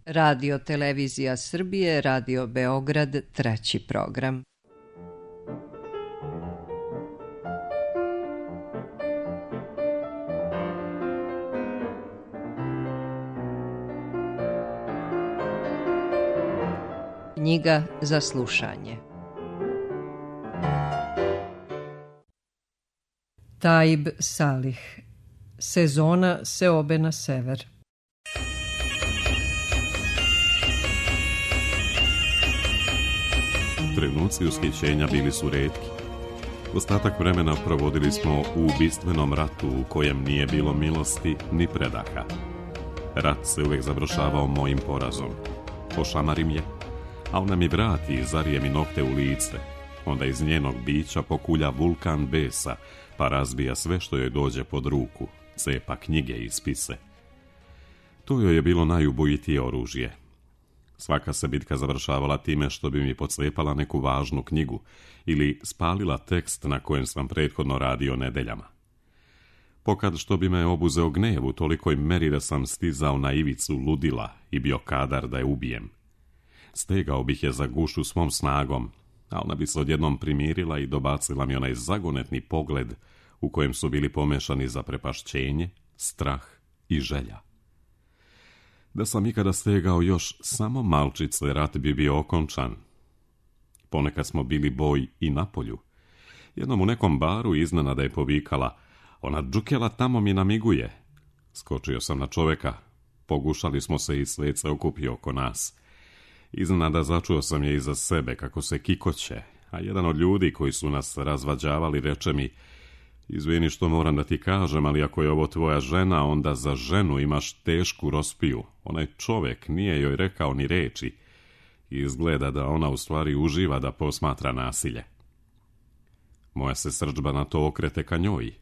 Radio Televizija Srbije, Radio Beograd, 3. program. Knjiga za slušanje. Taib Salih. Sezona seobe na sever. Trenuci ushićenja bili su retki. Ostatak vremena provodili smo u ubistvenom ratu u kojem nije bilo milosti ni predaha. Rat se uvijek završavao mojim porazom. Pošamarim je, a ona mi vrati i zarije mi nokte u lice. Onda iz njenog bića pokulja vulkan besa, pa razbija sve što joj dođe pod ruku, cepa knjige i spise. To joj je bilo najubojitije oružje. Svaka se bitka završavala time što bi mi pocepala neku važnu knjigu ili spalila tekst na kojem sam prethodno radio nedeljama. Pokad što bi me obuzeo gnev u tolikoj meri da sam stizao na ivicu ludila i bio kadar da je ubijem. Stegao bih je za gušu svom snagom, a ona bi se odjednom primirila i dobacila mi onaj zagonetni pogled u kojem su bili pomešani zaprepašćenje, strah i želja. Da sam ikada stegao još samo malčice, rat bi bio okončan. Ponekad smo bili boj i na polju. Jednom u nekom baru iznenada je povikala: "Ona džukela tamo mi namiguje." Skočio sam na čoveka, pogušali smo se i svet se okupio oko nas. Iznenada začuo sam je iza sebe kako se kikoće, a jedan od ljudi koji su nas razvađavali reče mi: "Izvini što moram da ti kažem, ali ako je ovo tvoja žena, onda za ženu imaš tešku rospiju." Onaj čovjek nije joj rekao ni reči. Izgleda da ona u stvari uživa da posmatra nasilje. Moja se srdžba na to okrete ka njoj.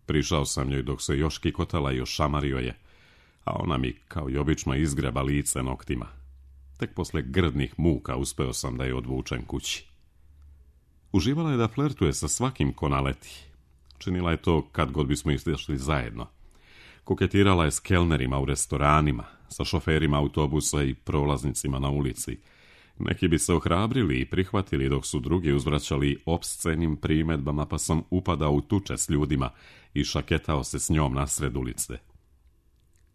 Prišao sam njoj dok se još kikotala i ošamario je, a ona mi kao i obično izgreba lice noktima. Tek posle grdnih muka uspeo sam da je odvučem kući. Uživala je da flertuje sa svakim ko naleti. Činila je to kad god bismo izašli zajedno. Koketirala je s kelnerima u restoranima, sa šoferima autobusa i prolaznicima na ulici. Neki bi se ohrabrili i prihvatili dok su drugi uzvraćali opscenim primedbama, pa sam upadao u tuče s ljudima i šaketao se s njom nasred ulice.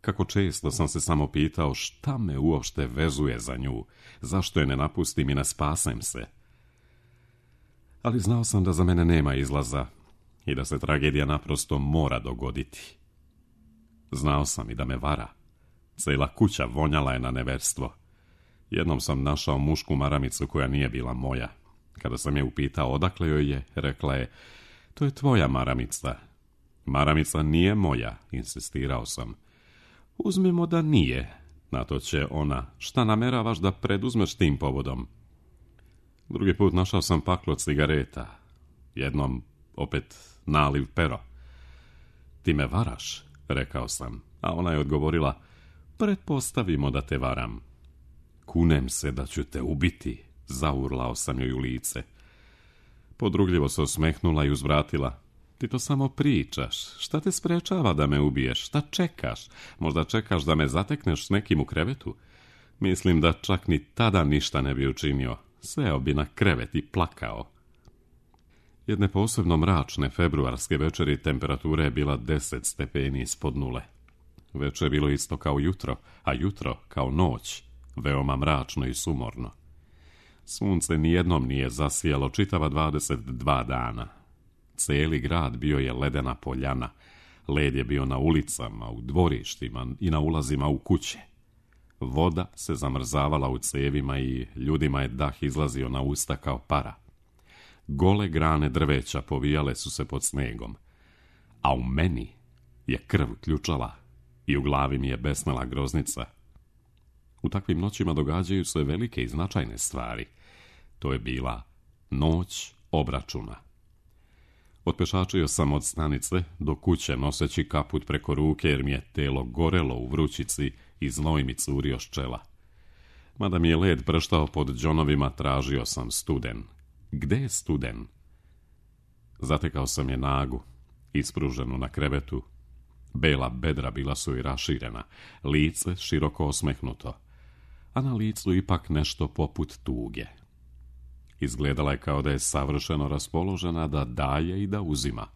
Kako često sam se samo pitao šta me uopšte vezuje za nju, zašto je ne napustim i ne spasem se. Ali znao sam da za mene nema izlaza i da se tragedija naprosto mora dogoditi. Znao sam i da me vara. Cela kuća vonjala je na neverstvo. Jednom sam našao mušku maramicu koja nije bila moja. Kada sam je upitao odakle joj je, rekla je: "To je tvoja maramica." "Maramica nije moja," insistirao sam. "Uzmimo da nije," na to će ona: "Šta nameravaš da preduzmeš tim povodom?" Drugi put našao sam paklo cigareta. Jednom opet naliv pero. "Ti me varaš," rekao sam, a ona je odgovorila: "Pretpostavimo da te varam." "Kunem se da ću te ubiti," zaurlao sam joj u lice. Podrugljivo se osmehnula i uzvratila: "Ti to samo pričaš. Šta te sprečava da me ubiješ? Šta čekaš? Možda čekaš da me zatekneš s nekim u krevetu?" Mislim da čak ni tada ništa ne bi učinio. Seo bi na krevet i plakao. Jedne posebno mračne februarske večeri temperatura je bila 10 stepeni ispod nule. Večer je bilo isto kao jutro, a jutro kao noć, veoma mračno i sumorno. Sunce nijednom nije zasijalo čitava 22 dana. Cijeli grad bio je ledena poljana. Led je bio na ulicama, u dvorištima i na ulazima u kuće. Voda se zamrzavala u cevima i ljudima je dah izlazio na usta kao para. Gole grane drveća povijale su se pod snegom, a u meni je krv ključala i u glavi mi je besnala groznica. U takvim noćima događaju se velike i značajne stvari. To je bila noć obračuna. Otpešačio sam od stanice do kuće noseći kaput preko ruke jer mi je telo gorelo u vrućici i znoj mi curio s čela. Mada mi je led prštao pod džonovima, tražio sam studen. Gde je studen? Zatekao sam je nagu, ispruženu na krevetu. Bela bedra bila su i raširena, lice široko osmehnuto. a na licu ipak nešto poput tuge. Izgledala je kao da je savršeno raspoložena da daje i da uzima.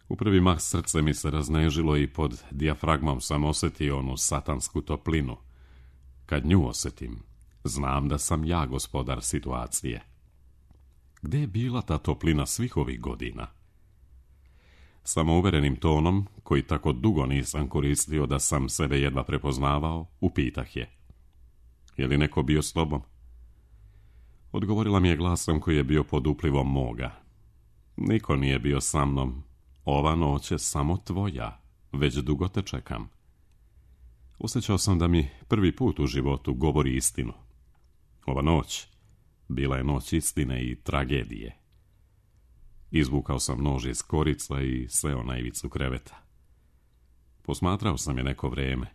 U prvi mah srce mi se raznežilo i pod dijafragmom sam osjetio onu satansku toplinu. Kad nju osjetim, znam da sam ja gospodar situacije. Gde je bila ta toplina svih ovih godina? Samouverenim tonom, koji tako dugo nisam koristio da sam sebe jedva prepoznavao, upitah je: je li neko bio s tobom? Odgovorila mi je glasom koji je bio pod uplivom moga: niko nije bio sa mnom, ova noć je samo tvoja, već dugo te čekam. Osjećao sam da mi prvi put u životu govori istinu. Ova noć bila je noć istine i tragedije. Izvukao sam nož iz korica i seo na ivicu kreveta. Posmatrao sam je neko vreme.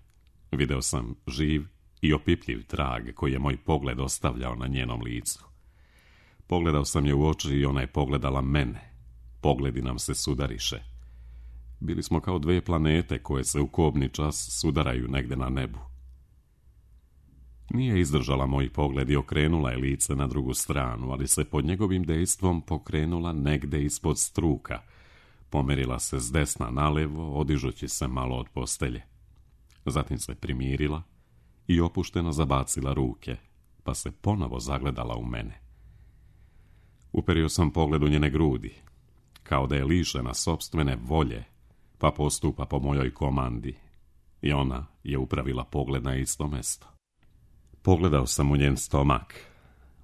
Video sam živ i opipljiv trag koji je moj pogled ostavljao na njenom licu. Pogledao sam je u oči i ona je pogledala mene. Pogledi nam se sudariše. Bili smo kao dve planete koje se u kobni čas sudaraju negde na nebu. Nije izdržala moj pogled i okrenula je lice na drugu stranu, ali se pod njegovim dejstvom pokrenula negde ispod struka. Pomerila se s desna nalevo, odižući se malo od postelje. Zatim se primirila i opušteno zabacila ruke, pa se ponovo zagledala u mene. Uperio sam pogled u njene grudi, kao da je lišena sopstvene volje, pa postupa po mojoj komandi, i ona je upravila pogled na isto mesto. Pogledao sam u njen stomak.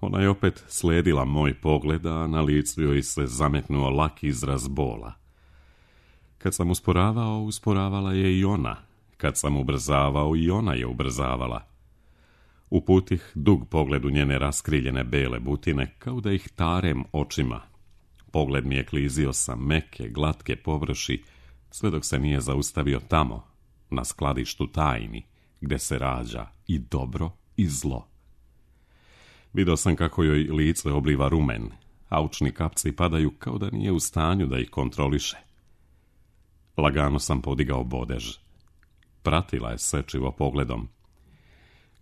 Ona je opet sledila moj pogled, a na licu joj se zametnuo lak izraz bola. Kad sam usporavao, usporavala je i ona. Kad sam ubrzavao, i ona je ubrzavala. Uputih dug pogled u njene raskriljene bele butine, kao da ih tarem očima. Pogled mi je klizio sa meke, glatke površi, sve dok se nije zaustavio tamo, na skladištu tajni, gde se rađa i dobro i zlo. Vidio sam kako joj lice obliva rumen, a očni kapci padaju kao da nije u stanju da ih kontroliše. Lagano sam podigao bodež. Pratila je sečivo pogledom.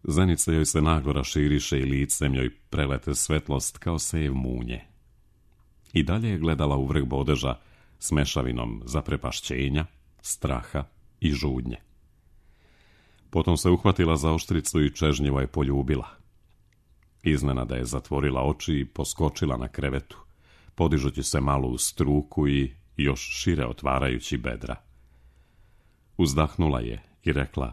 Zenice joj se naglo raširiše i licem joj prelete svetlost kao sev munje. I dalje je gledala u vrh bodeža s mešavinom zaprepašćenja, straha i žudnje. Potom se uhvatila za oštricu i čežnjivo je poljubila. Iznenada je zatvorila oči i poskočila na krevetu, podižući se malo u struku i još šire otvarajući bedra. Uzdahnula je i rekla: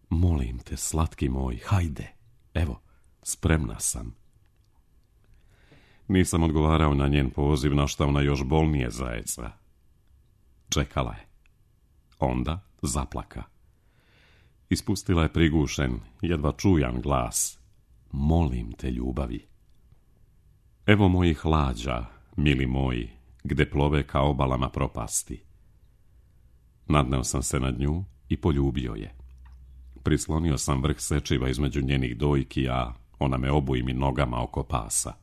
molim te, slatki moj, hajde, evo, spremna sam. Nisam odgovarao na njen poziv, na šta ona još bolnije zajeca. Čekala je. Onda zaplaka. Ispustila je prigušen, jedva čujan glas: molim te, ljubavi. Evo mojih lađa, mili moji, gde plove ka obalama propasti. Nadneo sam se nad nju i poljubio je. Prislonio sam vrh sečiva između njenih dojki, a ona me obujim nogama oko pasa.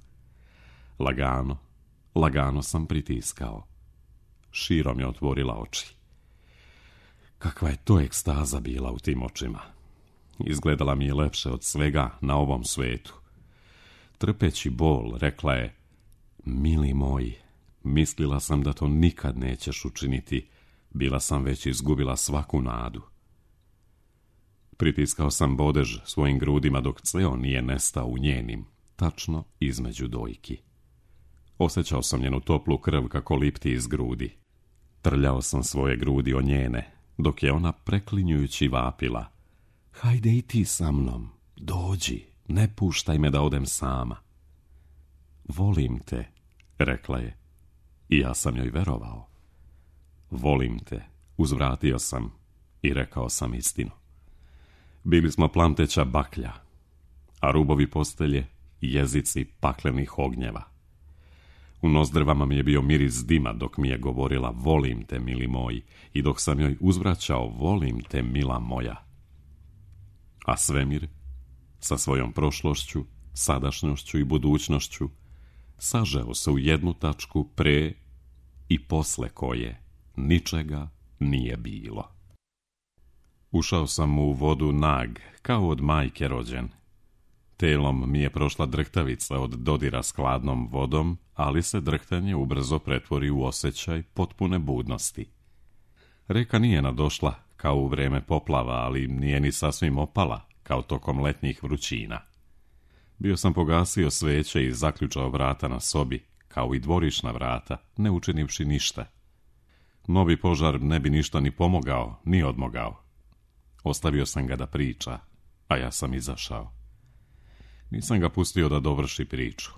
Lagano, lagano sam pritiskao. Širom je otvorila oči. Kakva je to ekstaza bila u tim očima. Izgledala mi je lepše od svega na ovom svetu. Trpeći bol, rekla je: mili moj, mislila sam da to nikad nećeš učiniti. Bila sam već izgubila svaku nadu. Pritiskao sam bodež svojim grudima dok ceo nije nestao u njenim, tačno između dojki. Osjećao sam njenu toplu krv kako lipti iz grudi. Trljao sam svoje grudi o njene, dok je ona preklinjujući vapila: hajde i ti sa mnom, dođi, ne puštaj me da odem sama. Volim te, rekla je, i ja sam joj verovao. Volim te, uzvratio sam i rekao sam istinu. Bili smo plamteća baklja, a rubovi postelje jezici paklenih ognjeva. U nozdrvama mi je bio miris dima dok mi je govorila: volim te, mili moj, i dok sam joj uzvraćao: volim te, mila moja. A svemir, sa svojom prošlošću, sadašnjošću i budućnošću, sažeo se u jednu tačku pre i posle koje ničega nije bilo. Ušao sam u vodu nag, kao od majke rođen. Telom mi je prošla drhtavica od dodira s hladnom vodom, ali se drhtanje ubrzo pretvori u osjećaj potpune budnosti. Reka nije nadošla, kao u vreme poplava, ali nije ni sasvim opala, kao tokom letnjih vrućina. Bio sam pogasio sveće i zaključao vrata na sobi, kao i dvorišna vrata, ne učinivši ništa. Novi požar ne bi ništa ni pomogao, ni odmogao. Ostavio sam ga da priča, a ja sam izašao. Nisam ga pustio da dovrši priču.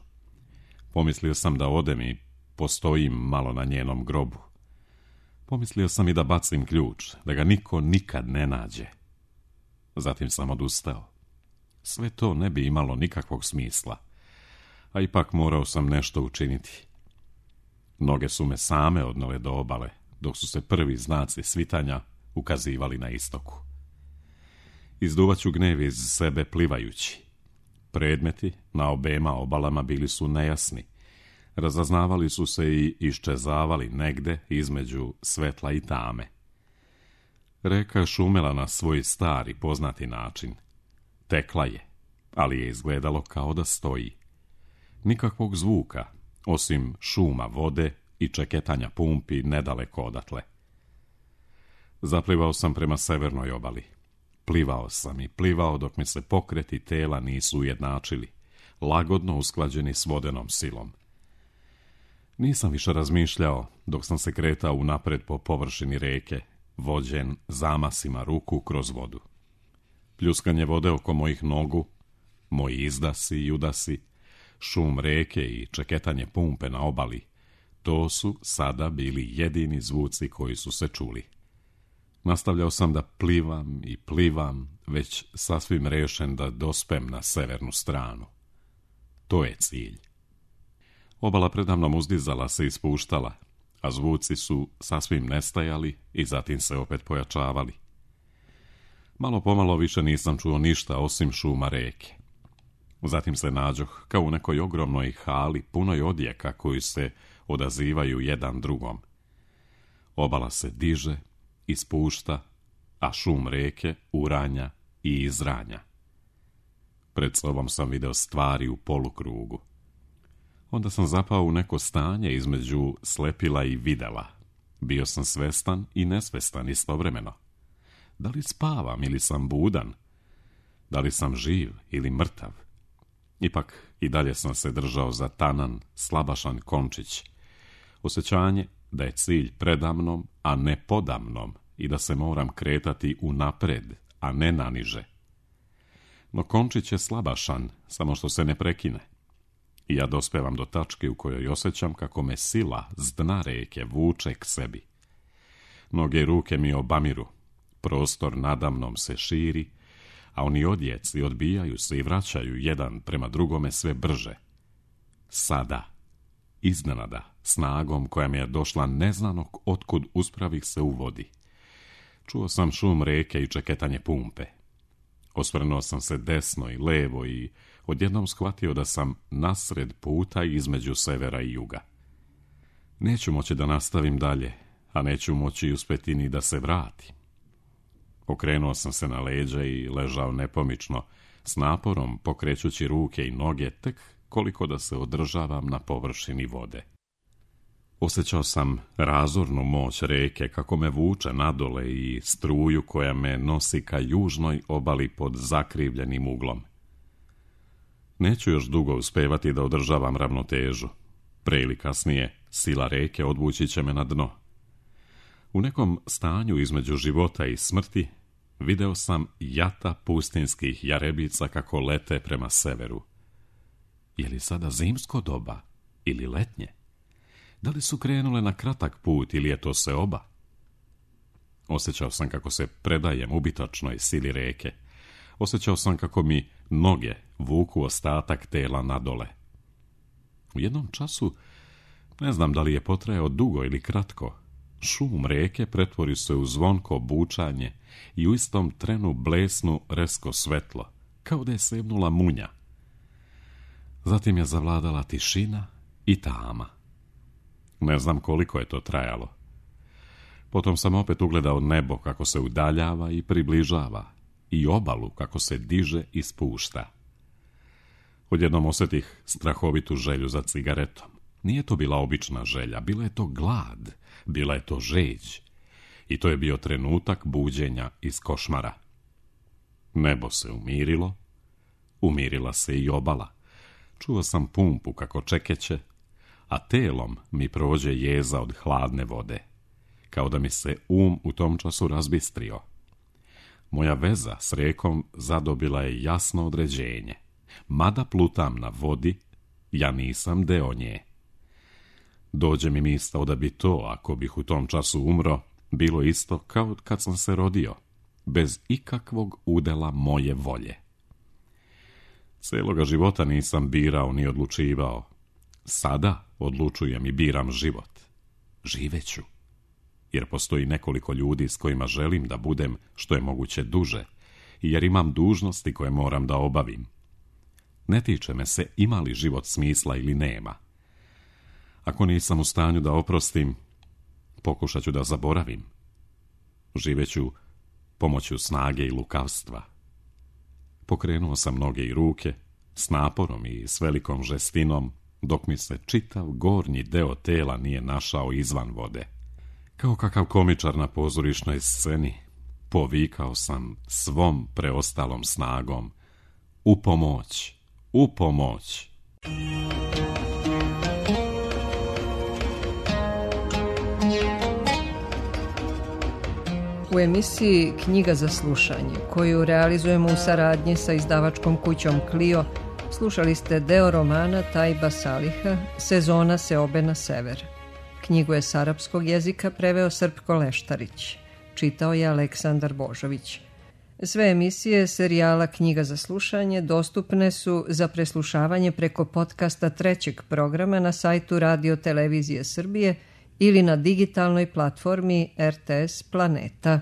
Pomislio sam da odem i postojim malo na njenom grobu. Pomislio sam i da bacim ključ, da ga niko nikad ne nađe. Zatim sam odustao. Sve to ne bi imalo nikakvog smisla, a ipak morao sam nešto učiniti. Noge su me same odnele do obale, dok su se prvi znaci svitanja ukazivali na istoku. Izduvaću gnev iz sebe plivajući. Predmeti na obema obalama bili su nejasni. Razaznavali su se i iščezavali negde između svetla i tame. Reka je šumela na svoj stari poznati način. Tekla je, ali je izgledalo kao da stoji. Nikakvog zvuka, osim šuma vode i čeketanja pumpi nedaleko odatle. Zaplivao sam prema severnoj obali. Plivao sam i plivao dok mi se pokreti tela nisu ujednačili, lagodno usklađeni s vodenom silom. Nisam više razmišljao dok sam se kretao unapred po površini reke, vođen zamasima ruku kroz vodu. Pljuskanje vode oko mojih nogu, moji izdasi i udasi, šum reke i čeketanje pumpe na obali, to su sada bili jedini zvuci koji su se čuli. Nastavljao sam da plivam i plivam, već sasvim rešen da dospem na severnu stranu. To je cilj. Obala predamnom uzdizala se i spuštala, a zvuci su sasvim nestajali i zatim se opet pojačavali. Malo pomalo više nisam čuo ništa osim šuma reke. Zatim se nađoh kao u nekoj ogromnoj hali punoj odjeka koji se odazivaju jedan drugom. Obala se diže i spušta, a šum reke uranja i izranja. Pred sobom sam video stvari u polukrugu. Onda sam zapao u neko stanje između slepila i videla. Bio sam svestan i nesvestan istovremeno. Da li spavam ili sam budan? Da li sam živ ili mrtav? Ipak i dalje sam se držao za tanan, slabašan končić. Osjećanje da je cilj predamnom, a ne podamnom i da se moram kretati unapred, a ne naniže. No končić je slabašan, samo što se ne prekine. I ja dospevam do tačke u kojoj osjećam kako me sila s dna reke vuče k sebi. Noge i ruke mi obamiru, prostor nadamnom se širi, a oni odjeci odbijaju se i vraćaju jedan prema drugome sve brže. Sada, iznenada, snagom koja mi je došla neznanog otkud uspravih se u vodi. Čuo sam šum reke i čeketanje pumpe. Osvrnuo sam se desno i levo i odjednom shvatio da sam nasred puta između severa i juga. Neću moći da nastavim dalje, a neću moći uspeti ni da se vratim. Okrenuo sam se na leđa i ležao nepomično, s naporom pokrećući ruke i noge tek koliko da se održavam na površini vode. Osjećao sam razornu moć reke kako me vuče nadole i struju koja me nosi ka južnoj obali pod zakrivljenim uglom. Neću još dugo uspevati da održavam ravnotežu. Pre ili kasnije sila reke odvući će me na dno. U nekom stanju između života i smrti video sam jata pustinskih jarebica kako lete prema severu. Je li sada zimsko doba ili letnje? Da li su krenule na kratak put ili je to seoba? Osjećao sam kako se predajem ubitačnoj sili reke. Osjećao sam kako mi noge vuku ostatak tela nadole. U jednom času, ne znam da li je potrajao dugo ili kratko, šum reke pretvori se u zvonko bučanje i u istom trenu blesnu resko svetlo, kao da je sebnula munja. Zatim je zavladala tišina i tama. Ne znam koliko je to trajalo. Potom sam opet ugledao nebo kako se udaljava i približava i obalu kako se diže i spušta. Odjednom osjetih strahovitu želju za cigaretom. Nije to bila obična želja, bila je to glad, bila je to žeđ. I to je bio trenutak buđenja iz košmara. Nebo se umirilo, umirila se i obala. Čuo sam pumpu kako čekeće, a telom mi prođe jeza od hladne vode. Kao da mi se u tom času razbistrio. Moja veza s rekom zadobila je jasno određenje. Mada plutam na vodi, ja nisam deo nje. Dođe mi misao da bi to, ako bih u tom času umro, bilo isto kao kad sam se rodio, bez ikakvog udela moje volje. Celoga života nisam birao ni odlučivao. Sada odlučujem i biram život. Živeću. Jer postoji nekoliko ljudi s kojima želim da budem što je moguće duže, i jer imam dužnosti koje moram da obavim. Ne tiče me se ima li život smisla ili nema. Ako nisam u stanju da oprostim, pokušat ću da zaboravim. Živeću pomoću snage i lukavstva. Pokrenuo sam noge i ruke, s naporom i s velikom žestinom, dok mi se čitav gornji deo tela nije našao izvan vode. Kao kakav komičar na pozorišnoj sceni, povikao sam svom preostalom snagom: u pomoć, u pomoć! U emisiji Knjiga za slušanje, koju realizujemo u saradnji sa izdavačkom kućom Clio, slušali ste deo romana Tajba Saliha Sezona seobe na sever. Knjigu je s arapskog jezika preveo Srpko Leštarić. Čitao je Aleksandar Božović. Sve emisije serijala Knjiga za slušanje dostupne su za preslušavanje preko podcasta trećeg programa na sajtu Radio Televizije Srbije ili na digitalnoj platformi RTS Planeta.